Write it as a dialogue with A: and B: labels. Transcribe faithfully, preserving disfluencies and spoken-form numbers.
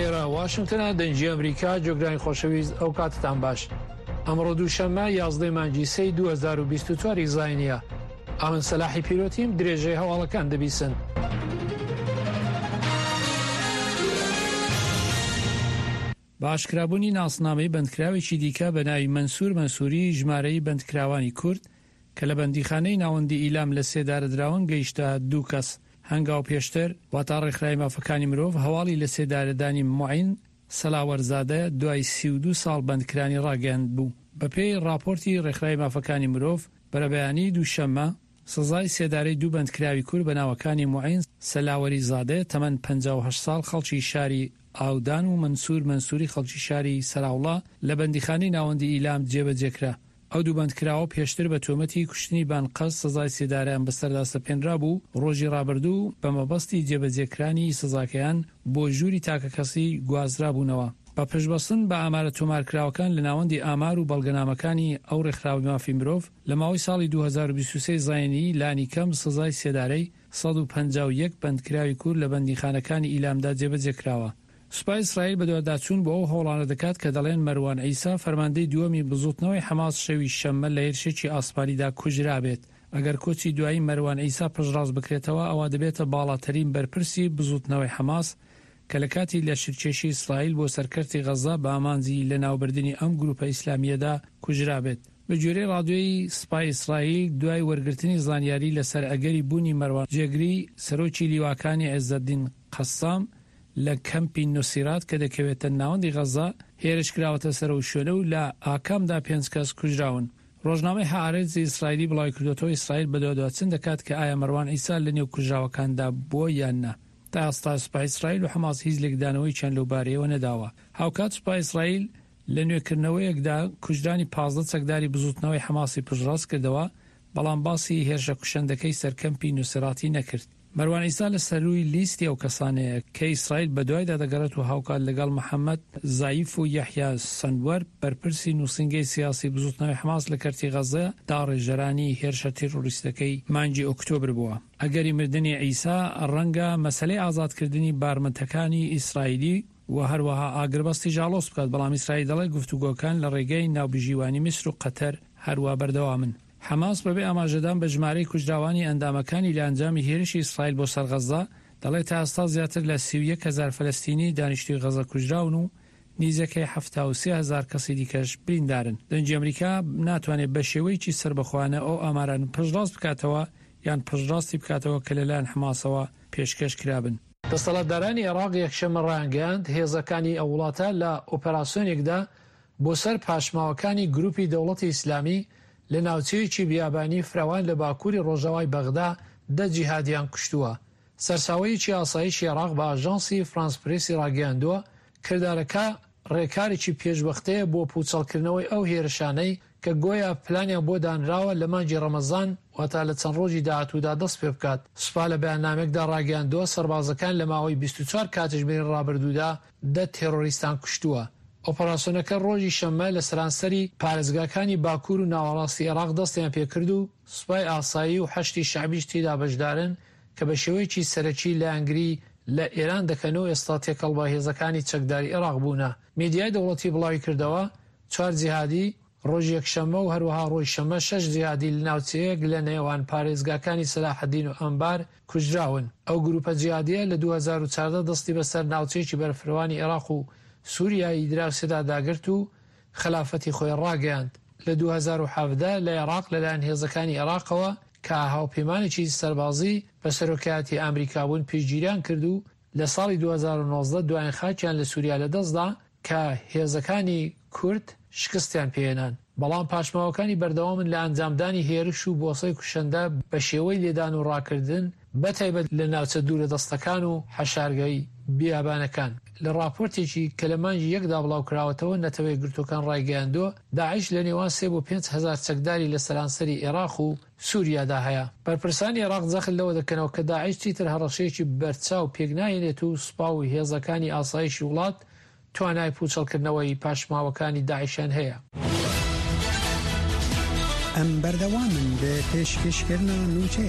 A: ئێرە واشنگتنە، دەنگی ئەمریکا. جۆگرانی خۆشەویست، ئەو کاتتان باش. ئەمڕۆ دووشەممە یازدەی مانگی سێی دوو هەزار و بیست و چوار ی زاینیە. ئەمن سەلاحی پیرۆتیم، درێژەی هەواڵەکان دەبیسن. بە ئاشکرابوونی ناسنامەی بەندکراوێکی دیکە بە ناوی مەنسوور مەنسووری، ژمارەی بەندکراوانی کورد کە لە بەندیخانەی ناوەندی ئیلام لە سێدارەدراون گەیشتە دوو کەس. هەنگاو پێشتر، واتا ڕێکخراوی مافەکانی مرۆڤ هەواڵی لە سێدارەدانی موعین سەلاوەرزادە دوای سی و دوو ساڵ بەندکرانی ڕاگەیاندبوو. بەپێی ڕاپۆرتی ڕێکخراوی مافەکانی مرۆڤ، بەرەبەیانیی دووشەممە، سزای سێدارەی دوو بەندکراوی کورد بە ناوەکانی موعین سەلاوەری زادە تەمەن پەنجا و هەشت ساڵ خەڵکی شاری ئاودان و مەنسوور مەنسووری خەڵکی شاری سەراوڵا لە بەندیخانەی ناوەندی ئیلام جێبەجێکرا. ئەو دوو بەندکراوە پێشتر بە تۆمەتی کوشتنی بانقەست سزای سێدارەیان بەسەردا سەپێنرابوو و ڕۆژی ڕابردوو بە مەبەستی جێبەجێکرانی سزاکەیان بۆ ژووری تاکەکەسی گوازرابوونەوە. بە پشتبەستن بە ئامارە تۆمارکراوەکان لە ناوەندی ئامار و بەڵگەنامەکانی ئەو ڕێکخراوەی مافی مرۆڤ، لە ماوەی ساڵی دوو هەزار و بیست و سێ زایینی لانیکەم سزای سێدارەی سەد و پەنجا و یەک بەندکراوی کورد لە بەندیخانەکانی ئیلامدا جێبەجێکراوە. سوپای ئیسرائیل بەدواداچوون بۆ ئەو هەوڵانە دەکات کە دەڵێن مەروان عیسا، فەرماندەی دووەمی بزووتنەوەی حەماس شەوی شەممە لە هێرشێکی ئاسمانیدا کوژرابێت. ئەگەر کۆچی دوایی مەروان عیسا پشتڕاست بکرێتەوە، ئەوا دەبێتە باڵاترین بەرپرسی بزووتنەوەی حەماس کە لە کاتی لەشکرکێشی ئیسرائیل بۆ سەر کەرتی غەززە بە ئامانجی لەناوبردنی ئەم گرووپە ئیسلامییەدا کوژرابێت. بەگوێرەی ڕادیۆی سپای ئیسرائیل، دوای وەرگرتنی زانیاری لەسەر ئەگەری بوونی مەروان جێگری سەرۆکی لیواکانی عیزەدین قەسام لە کەمپی نوسیرات کە دەکەوێتە ناوەندی غەززە، هێرش کراوەتە سەر ئەو شوێنە و لە ئاکامدا پێنج کەس کوژراون. ڕۆژنامەی هائارێتزی ئیسرائیلی بڵاویکردووەتەوە، ئیسرائیل بەدواداچوون دەکات کە ئایا مەروان عیسا لەنێو کوژراوەکاندا بووە یان نا. تا ئێستا سوپای ئیسرائیل و حەماس هیچ لێکدانەوەیەکیان لەو بارەیەوە نەداوە. هاوکات سوپای ئیسرائیل لە نوێکردنەوەیەکدا کوژرانی پازدە چەکداری بزووتنەوەی حەماسی پشتڕاست کردەوە، بەڵام باسی هێرشە کوشندەکەی سەر کەمپی نوسیراتی نەکرد. مەروان عیسا لە سەرووی لیستی ئەو کەسانەیە کە ئیسرائیل بەدوایدا دەگەڕێت و هاوکات لەگەڵ محەمەد زایف و یەحیا سەنوەر بەرپرسی نووسینگەی سیاسی بزووتنەوەی حەماس لە کەرتی غەززە داڕێژەرانی هێرشە تیرۆریستەکەی مانگی ئۆکتۆبر بووە. ئەگەری مردنی عیسا ڕەنگە مەسەلەی ئازادکردنی بارمتەکانی ئیسرائیلی و هەروەها ئاگربەستیش ئاڵۆز بکات، بەڵام ئیسرائیل دەڵێت گفتوگۆکان لە ڕێگەی ناوبژیوانی میسر و قەتەر هەروا بەردەوامن. حەماس بەبێ ئاماژەدان بە ژمارەی کوژراوانی ئەندامەکانی لە ئەنجامی هێرشی ئیسرائیل بۆ سەر غەززە، دەڵێت تا ئێستا زیاتر لە سی و یەک هەزار فەلەستینی دانیشتووی غەززە کوژراون و نیزەکەی حەفتا و سێ هەزار کەسی دیکەش بریندارن. دەنگی ئەمریکا ناتوانێت بەشێوەیەکی سەربەخۆانە ئەو ئامارانە پشتڕاست بکاتەوە یان پشتڕاستی بکاتەوە کە لەلایەن حەماسەوە پێشکەش کرابن. دەسەڵاتدارانی عێراق یەکشەممە ڕایانگەیاند، هێزەکانی ئەو وڵاتە لە ئۆپەراسیۆنێکدا بۆ سەر پاشماوەکانی گروپی دەوڵەتی ئیسلامی لە ناوچەیەکی بیابانی فراوان لە باکووری ڕۆژاوای بەغدا دە جیهادیان کوشتووە. سەرچاوەیەکی ئاسایشی عێراق بە ئاژانسی فرانس پرێسی ڕاگەیاندووە، کردارەکە ڕێکارێکی پێشوەختەیە بۆ پووچەڵکردنەوەی ئەو هێرشانەی کە گۆیا پلانیان بۆ دانراوە لە مانگی ڕەمەزان واتا لە چەند ڕۆژی داهاتوودا دەست پێبکات. سوپا لە بەیاننامەیەکدا ڕاگەیاندووە، سەربازەکان لە ماوەی بیست و چوار کاتژمێری ڕابردوودا دە تێرۆریستان کوشتووە. ئۆپەراسیۆنەکە ڕۆژی شەممە لە سەرانسەری پارێزگاکانی باکوور و ناوەڕاستی عێراق دەستیان پێکرد و سوپای ئاسایی و حەشدی شەعبیش تێیدا بەشدارن کە بە شێوەیەکی سەرەکی لایەنگری لە ئێران دەکەن و ئێستا تێکەڵ بە هێزەکانی چەکداری عێراق بوونە. میدیای دەوڵەتی بڵاویکردەوە، چوار جیهادی ڕۆژی یەکشەممە و هەروەها ڕۆژی شەممە شەش جیهادی لە ناوچەیەک لە نێوان پارێزگاکانی سەلاحەدین و ئەنبار کوژراون. ئەو گروپە جیهادییە لە دوو هەزار و چواردە دەستی بەسەر ناوچەیەکی بەرفروانی عێراق و سوریای دراوسێدا داگرت و خەلافەتی خۆی ڕاگەیاند. لە دوو هەزار و حەڤدە لە عێراق لەلایەن هێزەکانی عێراقەوە کە هاوپەیمانێکی سەربازی بە سەرۆکایەتی ئەمریکا بوون پشتگیریان کرد و لە ساڵی دوو هەزار و نۆزدە دوایین خاکیان لە سوریا لەدەستدا کە هێزەکانی کورد شکستیان پێهێنان، بەڵام پاشماوەکانی بەردەوامن لە ئەنجامدانی هێرش و بۆسەی کوشندە بە شێوەی لێدان و ڕاکردن، بەتایبەت لە ناوچە دوورەدەستەکان و حەشارگەی بیابانەکان. لە ڕاپۆرتێکی کە لە مانگی یەکدا بڵاوکراوەتەوە، نەتەوە یەکگرتووەکان ڕایگەیاندووە، داعش لە نێوان سێ بۆ پێنج هەزار چەکداری لە سەرانسەری عێراق و سوریادا هەیە. بەرپرسانی عێراق جەخت لەوە دەکەنەوە کە داعش چیتر هەڕەشەیەکی بەرچاو پێکناهێنێت و سوپا و هێزەکانی ئاسایشی وڵات توانای پووچەڵکردنەوەی پاشماوەکانی داعشیان هەیە.
B: ئەم بەردەوامن لە پێشکەشکردنا نوچەیان.